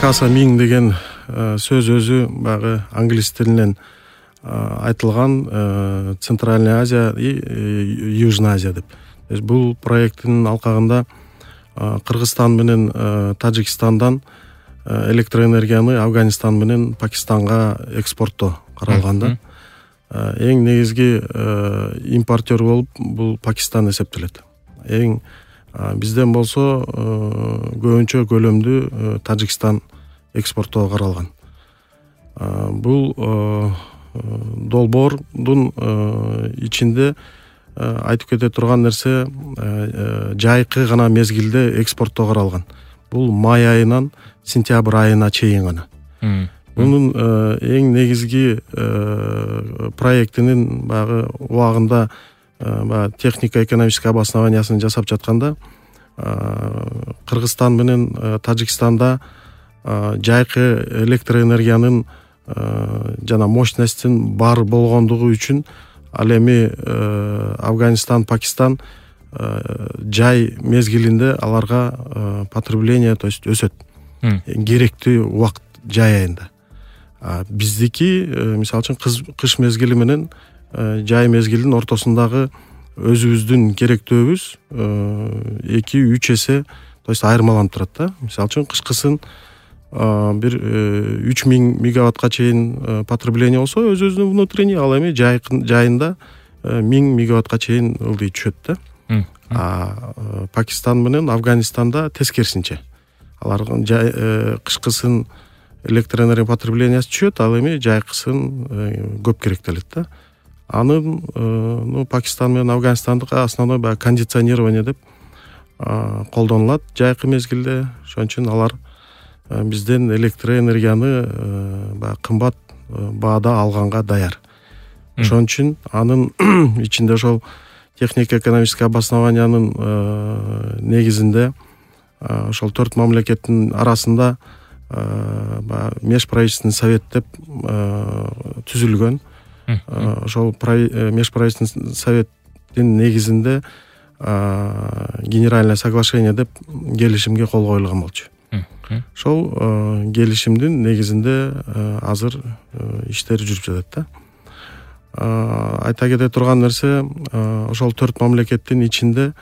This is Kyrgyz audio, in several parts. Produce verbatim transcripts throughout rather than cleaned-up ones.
каса миң деген сөз өзү баягы англис тилинен айтылган Центральная Азия и Южная Азия деп. Бул проекттин алкагында Кыргызстан менен Тажикстандан электроэнергияны Афганистан менен Пакистанга экспорттоо каралган да. Эң негизги импортер болуп бул Пакистан эсептелет. Эң бизден болсо көбүнчө көлөмдүү Тажикстан экспорттоого каралган. Бул долбоордун ичинде айтып кете турган нерсе жайкы гана мезгилде экспорттоого каралган. Бул май айынан сентябрь айына чейин гана. Мунун эң негизги проектинин баягы убагында баягы технико-экономический обоснованиясын жасап жатканда Кыргызстан менен Тажикстанда жайкы электроэнергиянын жана мощностьтин бар болгондугу үчүн ал эми Афганистан, Пакистан жай мезгилинде аларга потребление, то есть өсөт. Керектүү убакыт жай айында. Биздики мисалы үчүн кыш мезгили менен жай мезгилдин ортосундагы өзүбүздүн керектүүбүз эки үч эсе, то есть айырмаланып турат да. Мисалы үчүн кышкысын бир үч миң мегаваттка чейин потребление болсо өзүбүздүн внутренний, ал эми жайында миң мегаваттка чейин ылдый түшөт да. А Пакистан менен Афганистанда тескерисинче. Алардын кышкысын электроэнергия потреблениеси түшөт, ал эми жайкысын көп керектелет да. Анын ну Пакистан менен Афганистандыкы основной баягы кондиционирование деп колдонулат жайкы мезгилде. Ошон үчүн алар бизден электроэнергияны баягы кымбат баада алганга даяр. Ошон үчүн анын ичинде ошол технико-экономический обоснованиянын негизинде ошол төрт мамлекеттин арасында баягы межправительственный совет деп түзүлгөн. Ошол межправительственный советтин негизинде генеральное соглашение деп келишимге кол коюлган болчу. Ошол келишимдин негизинде азыр иштер жүрүп жатат да. Айта кете турган нерсе, ошол төрт мамлекеттин ичинде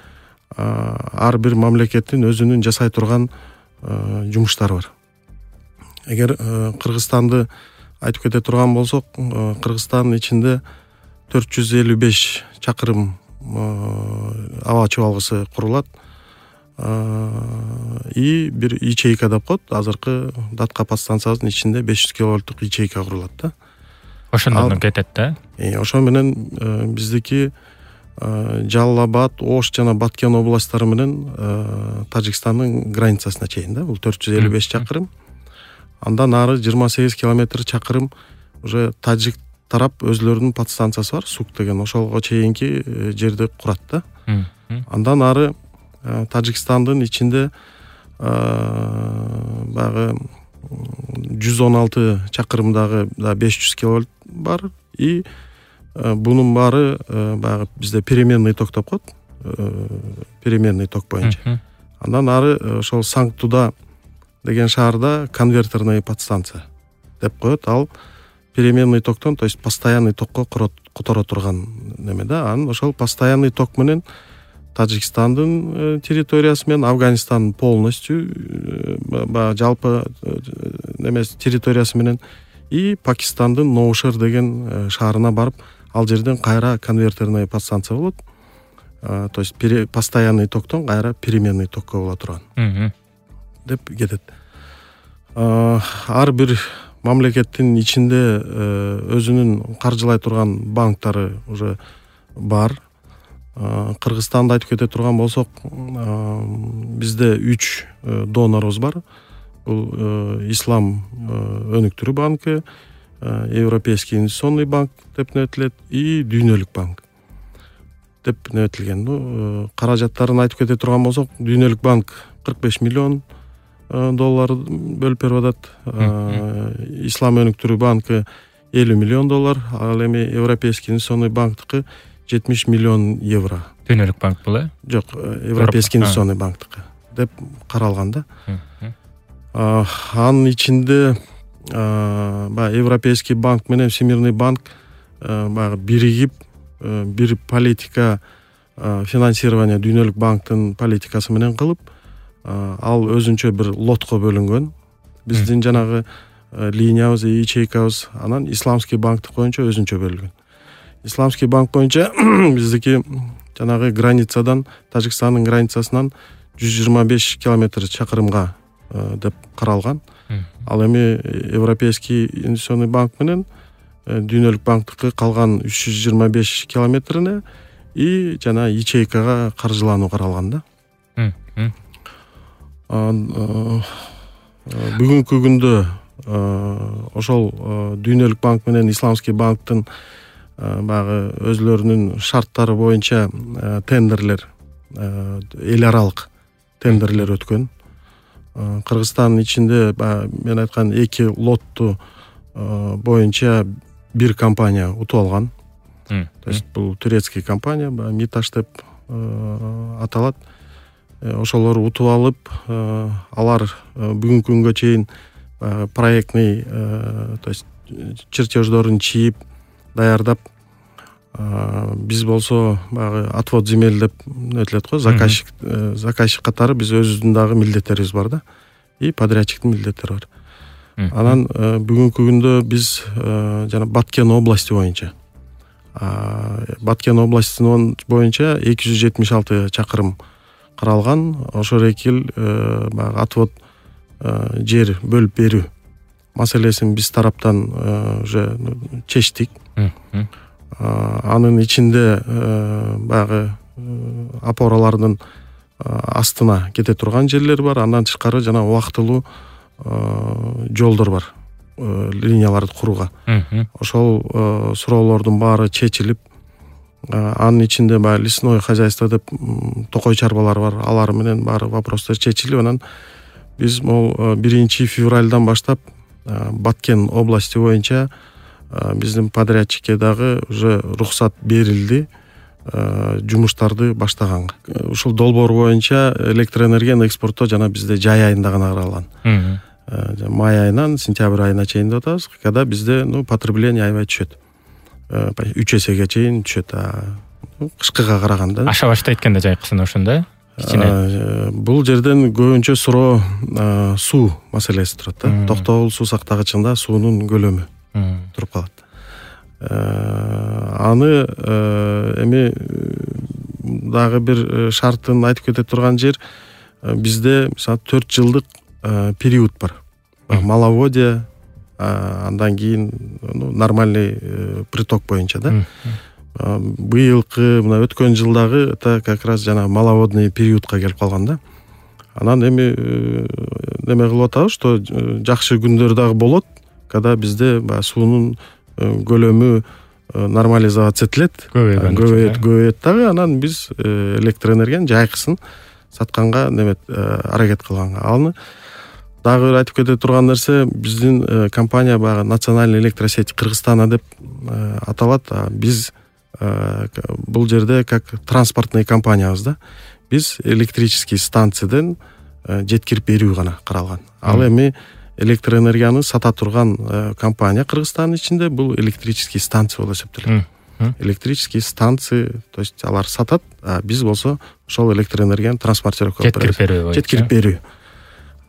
ар бир мамлекеттин өзүнүн жасай турган жумуштары бар. Эгер Кыргызстанды айтып кете турган болсок, Кыргызстандын ичинде төрт жүз элүү беш чакырым аба чыбалгысы курулат. И бир ячейка деп коет. Азыркы датка подстанциябыздын ичинде беш жүз киловольттук ячейка курулат да. Ошондон кетет да. Ошон менен биздики Жалал Абад, Ош жана Баткен областтары менен Тажикстандын границасына чейин да. Бул төрт жүз элүү беш чакырым. Андан ары жыйырма сегиз километр чакырым уже тажик тарап өзлөрүнүн подстанциясы бар, Сук деген, ошолго чейинки жерди курат да. Андан ары Тажикстандын ичинде баягы жүз он алты чакырымдагы беш жүз киловольт бар. И бунун баары баягы бизде переменный ток деп коет. Переменный ток боюнча. Андан ары ошол Санктуда деген шаарда конвертерный подстанция деп коет. Ал переменный токтон, то есть постоянный токко которо турган неме да. Анан ошол постоянный ток менен Тажикстандын территориясы менен Афганистандын полностью жалпы немес территориясы менен и Пакистандын Ноушер деген шаарына барып, ал жерден кайра конвертерный подстанция болот. То есть постоянный токтон кайра переменный токко боло турган деп кетет. Ар бир мамлекеттин ичинде өзүнүн каржылай турган банктары уже бар. Кыргызстанда айтып кете турган болсок, бизде үч донорубуз бар. Бул Ислам өнүктүрүү банкы, Европейский инвестиционный банк деп нөтүлөт и Дүйнөлүк банк деп нөтүлгөн. Каражаттарын айтып кете турган болсок, Дүйнөлүк банк кырк беш миллион доллар бөлүп берип атат. Ислам өнүктүрүү банкы элүү миллион доллар, ал эми Европейский инвестиционный банктыкы жетимиш миллион евро. Дүйнөлүк банк бул э? Жок, Европейский инвестиционный банктыкы деп каралган да. Анын ичинде баягы Европейский банк менен Всемирный банк баягы биригип бир политика финансирование дүйнөлүк банктын политикасы менен кылып, ал өзүнчө бир лотко бөлүнгөн. Биздин жанагы линиябыз, ячейкабыз анан Исламский банктык боюнча өзүнчө бөлүнгөн. Исламский банк боюнча биздики жанагы границадан, Тажикстандын границасынан жүз жыйырма беш километр чакырымга деп каралган. Ал эми Европейский инвестиционный банк менен дүйнөлүк банктыкы калган үч жүз жыйырма беш километрине и жана ячейкага каржылануу каралган да. Бүгүнкү күндө ошол дүйнөлүк банк менен Исламский банктын баягы өзлөрүнүн шарттары боюнча тендерлер, эл аралык тендерлер өткөн. Кыргызстандын ичинде мен айткан эки лотту боюнча бир компания утуп алган. То есть бул турецкий компания, Миташ деп аталат. Ошолор утуп алып, алар бүгүнкү күнгө чейин проектный, то есть чертеждорун чийип, даярдап, биз болсо баягы отвод земель деп өтүлөт го, заказчик заказчик катары биз өзүбүздүн дагы милдеттерибиз бар да, и подрядчиктин милдеттери бар. Анан бүгүнкү күндө биз жана Баткен области боюнча Баткен областинин боюнча эки жүз жетимиш алты чакырым каралган. Ошол экил баягы отвод жер бөлүп берүү маселесин биз тараптан уже чечтик. Анын ичинде баягы опоралардын астына кете турган жерлер бар. Андан тышкары жана убактылуу жолдор бар, линияларды курууга. Ошол суроолордун баары чечилип, анын ичинде баягы лесное хозяйство деп токой чарбалар бар. Алар менен баары вопростор чечилип, анан биз могу биринчи февралдан баштап Баткен области боюнча биздин подрядчикке дагы уже рухсат берилди жумуштарды баштаганга. Ушул долбоор боюнча электроэнергияны экспорттоо жана бизде жай айында гана каралган. Май айынан сентябрь айына чейин деп атабыз, когда бизде ну потребление аябай түшөт. үч эсеге чейин түшөт. Кышкыга караганда. Аша баштайт экен да жайкысын ошондо. Бул жерден көбүнчө суроо суу маселеси турат да. Токтогул суу сактагычында суунун көлөмү туруп калат. Аны эми дагы бир шартын айтып кете турган жер, бизде мисалы төрт жылдык период бар. Маловодье, андан кийин нормальный приток боюнча да. Быйылкы мына өткөн жылдагы это как раз жана маловодный периодка келип калган да. Анан эми неме кылып атабыз, что жакшы күндөр дагы болот, когда бизде баягы суунун көлөмү нормализация этилет, көбөйөт, көбөйөт дагы, анан биз электроэнергияны жайкысын сатканга немет аракет кылганга. Аны дагы айтып кете турган нерсе, биздин компания баягы Национальный электросеть Кыргызстана деп аталат. Биз бул жерде как транспортный компаниябыз да. Биз электрический станциядан жеткирип берүү гана каралган. Ал эми электроэнергияны сата турган компания Кыргызстандын ичинде бул электрический станция болуп эсептелет. Электрический станция, то есть алар сатат, а биз болсо ошол электроэнергияны транспортировка кылып беребиз. Жеткирип берүү. Жеткирип берүү.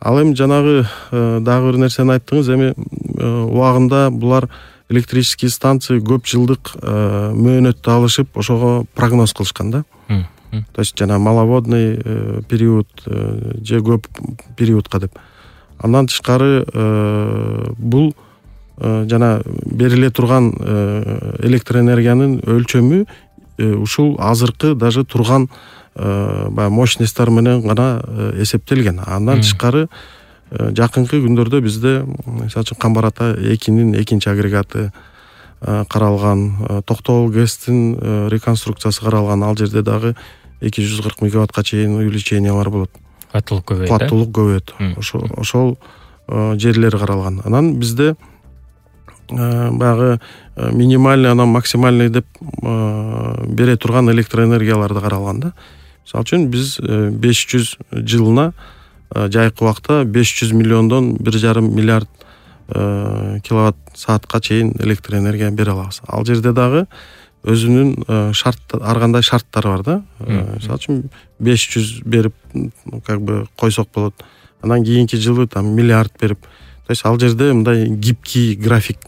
Ал эми жанагы дагы бир нерсени айттыңыз, эми убагында булар электрический станция көп жылдык мөөнөттү алышып, ошого прогноз кылышкан да. То есть жана маловодный период же көп периодка деп. Андан тышкары бул жана бериле турган электроэнергиянын өлчөмү ушул азыркы даже турган баягы мощностьтар менен гана эсептелген. Андан тышкары жакынкы күндөрдө бизде мисалы үчүн Камбар Ата экинин экинчи агрегаты каралган, Токтогул ГЭСтин реконструкциясы каралган. Ал жерде дагы эки жүз кырк мегаваттка чейин увеличениялар болот. Каттылык көбөйөт. Каттылык көбөйөт. Ошол ошол жерлер каралган. Анан бизде баягы минимальный, анан максимальный деп бере турган электроэнергияларды каралган да. Мисалы үчүн биз беш жүз жылына жайкы убакта беш жүз миллиондон бир жарым миллиард киловатт саатка чейин электр энергия бере алабыз. Ал жерде дагы өзүнүн шарт, ар кандай шарттары бар да. Мисалы үчүн беш жүз берип как бы койсок болот. Анан кийинки жылы там миллиард берип. То есть ал жерде мындай гибкий график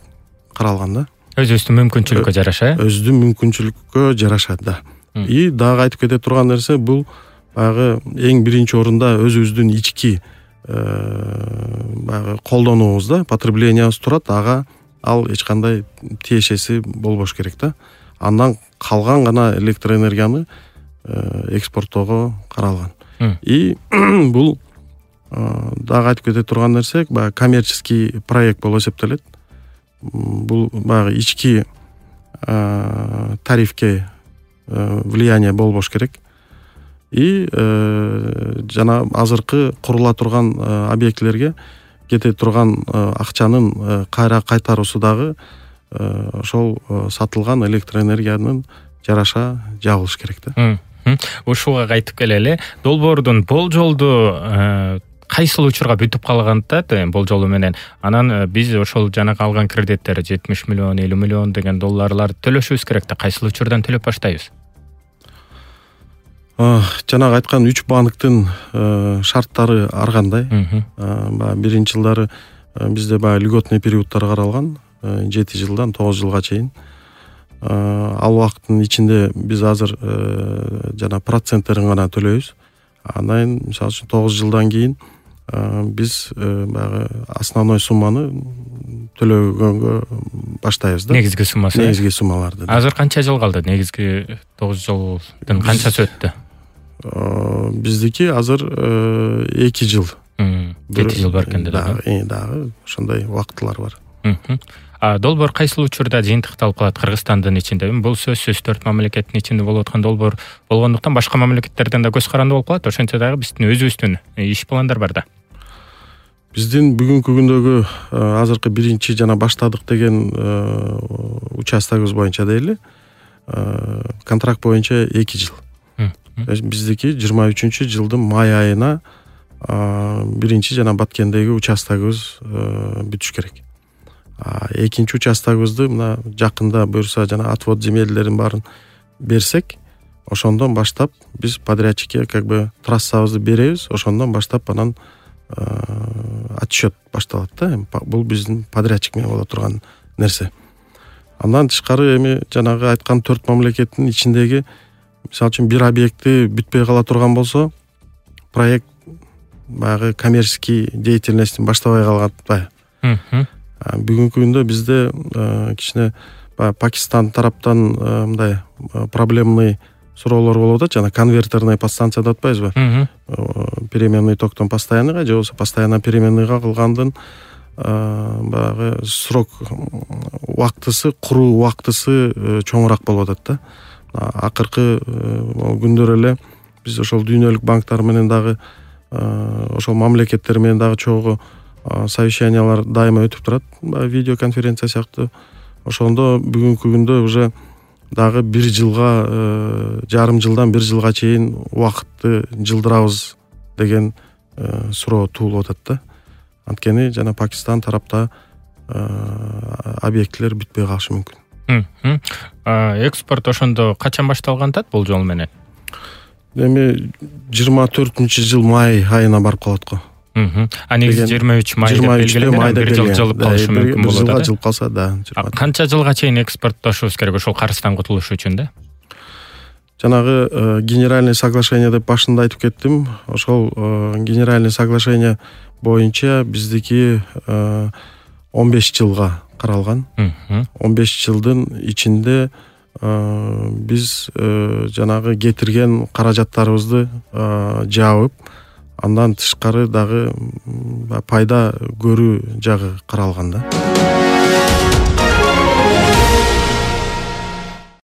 каралган да. Өзүбүздүн мүмкүнчүлүккө жараша. Өзүнүн мүмкүнчүлүккө жараша да. И дагы айтып кете турган нерсе бул баягы эң биринчи орунда өзүбүздүн ички баягы колдонуубуз да, потреблениябыз турат, ага ал эч кандай тиешеси болбош керек да. Андан калган гана электр энергияны экспорттоого каралган. И бул дагы айтып кете турган нерсе баягы коммерческий проект болуп эсептелет. Бул баягы ички тарифке влияние болбош керек. И жана азыркы курула турган объектилерге кете турган акчанын кайра кайтаруусу дагы ошол сатылган электр энергиянын жараша жабылыш керек да. Ушуга кайтып келели. Долбоордун болжолду кайсыл учурга бүтүп калгандат болжолу менен анан биз ошол жанагы алган кредиттер жетимиш миллион, элүү миллион деген долларларды төлөшүбүз керек да. Кайсыл учурдан төлөп баштайбыз? Жанагы айткан үч банктын шарттары ар кандай. Баягы биринчи жылдары бизде баягы льготный периодтар каралган, жети жылдан тогуз жылга чейин. Ал убакыттын ичинде биз азыр жана проценттерин гана төлөйбүз. Анан мисалы үчүн тогуз жылдан кийин биз баягы основной сумманы төлөгөнгө баштайбыз да. Негизги суммасы. Негизги суммаларды. Азыр канча жыл калды? Негизги тогуз жылдын канчасы өттү? Биздики азыр эки жыл. жети жыл бар экен да. Дагы ошондой убактылар бар. А долбоор кайсыл учурда жыйынтыкталып калат Кыргызстандын ичинде? Бул сөзсүз төрт мамлекеттин ичинде болуп аткан долбоор болгондуктан башка мамлекеттерден да көз каранды болуп калат. Ошентсе дагы биздин өзүбүздүн иш пландар бар да. Биздин бүгүнкү күндөгү азыркы биринчи жана баштадык деген участогубуз боюнча дейли. Контракт боюнча эки жыл. Биздики жыйырма үчүнчү жылдын май айына биринчи жана баткендеги участогубуз бүтүш керек. Экинчи участогубузду мына жакында буюрса жана отвод земельдерин баарын берсек, ошондон баштап биз подрядчикке как бы трассабызды беребиз, ошондон баштап анан отчет башталат да. Бул биздин подрядчик менен боло турган нерсе. Андан тышкары эми жанагы айткан төрт мамлекеттин ичиндеги мисалы үчүн бир объекти бүтпөй кала турган болсо, проект баягы коммерческий деятельностин баштабай калган. Бүгүнкү күндө бизде кичине Пакистан тараптан мындай проблемный суроолор болуп атат, жана конвертерный подстанция деп атпайбызбы? Переменный токтон постоянныйга же болбосо постоянно переменныйга кылгандын баягы срок убактысы, куруу убактысы чоңураак болуп атат да. Акыркы күндөр эле биз ошол дүйнөлүк банктар менен дагы ошол мамлекеттер менен дагы чогуу совещаниялар дайыма өтүп турат, видео конференция сыяктуу. Ошондо бүгүнкү күндө уже дагы бир жылга, жарым жылдан бир жылга чейин убакытты жылдырабыз деген суроо туулуп атат да. Анткени жана Пакистан тарапта объектилер бүтпөй калышы мүмкүн. Экспорт ошондо качан башталган тат болжол менен? Эми жыйырма төртүнчү жыл май айына барып калат го. А негизи жыйырма үч май деп белгиленген, бир жыл жылып калышы мүмкүн болот да. Бир жылга жылып калса да. Канча жылга чейин экспорттошубуз керек ошол карыздан кутулуш үчүн да? Жанагы генеральный соглашение деп башында айтып кеттим. Ошол генеральный соглашение боюнча биздики он беш жылга каралган. он беш жылдын ичинде биз жанагы кетирген каражаттарыбызды жаабып, андан тышкары дагы пайда көрүү жагы каралган да.